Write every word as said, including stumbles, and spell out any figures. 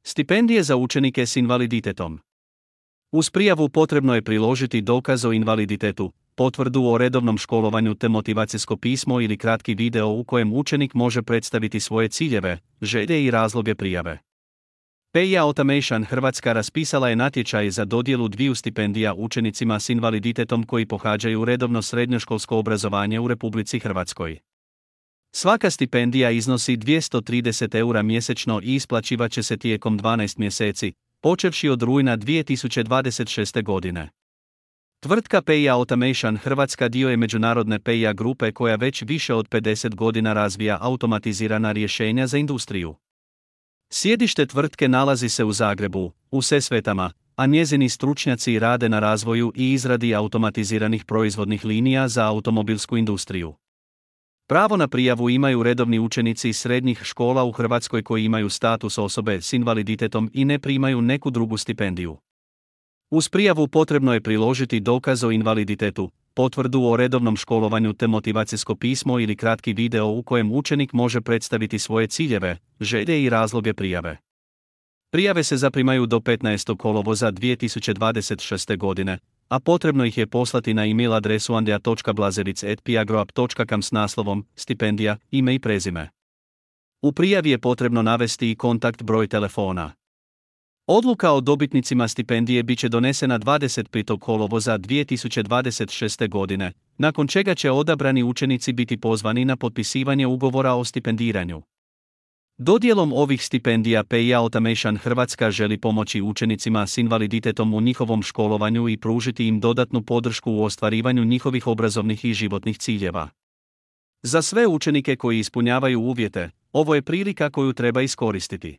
Stipendije za učenike s invaliditetom. Uz prijavu potrebno je priložiti dokaz o invaliditetu, potvrdu o redovnom školovanju te motivacijsko pismo ili kratki video u kojem učenik može predstaviti svoje ciljeve, želje i razloge prijave. Pay Automation Hrvatska raspisala je natječaj za dodjelu dviju stipendija učenicima s invaliditetom koji pohađaju redovno srednjoškolsko obrazovanje u Republici Hrvatskoj. Svaka stipendija iznosi dvjesto trideset eura mjesečno i isplaćivat će se tijekom dvanaest mjeseci, počevši od rujna dvije tisuće dvadeset šeste. godine. Tvrtka Pay Automation Hrvatska dio je međunarodne Pay grupe koja već više od pedeset godina razvija automatizirana rješenja za industriju. Sjedište tvrtke nalazi se u Zagrebu, u Sesvetama, a njezini stručnjaci rade na razvoju i izradi automatiziranih proizvodnih linija za automobilsku industriju. Pravo na prijavu imaju redovni učenici srednjih škola u Hrvatskoj koji imaju status osobe s invaliditetom i ne primaju neku drugu stipendiju. Uz prijavu potrebno je priložiti dokaz o invaliditetu, potvrdu o redovnom školovanju te motivacijsko pismo ili kratki video u kojem učenik može predstaviti svoje ciljeve, želje i razloge prijave. Prijave se zaprimaju do petnaestog kolovoza dvije tisuće dvadeset šeste. godine, a potrebno ih je poslati na e-mail adresu andrea točka blazeric at piagroap točka com s naslovom stipendija, ime i prezime. U prijavi je potrebno navesti i kontakt broj telefona. Odluka o dobitnicima stipendije bit će donesena dvadeset petog kolovoza dvije tisuće dvadeset šeste. godine, nakon čega će odabrani učenici biti pozvani na potpisivanje ugovora o stipendiranju. Dodjelom ovih stipendija Pay Automation Hrvatska želi pomoći učenicima s invaliditetom u njihovom školovanju i pružiti im dodatnu podršku u ostvarivanju njihovih obrazovnih i životnih ciljeva. Za sve učenike koji ispunjavaju uvjete, ovo je prilika koju treba iskoristiti.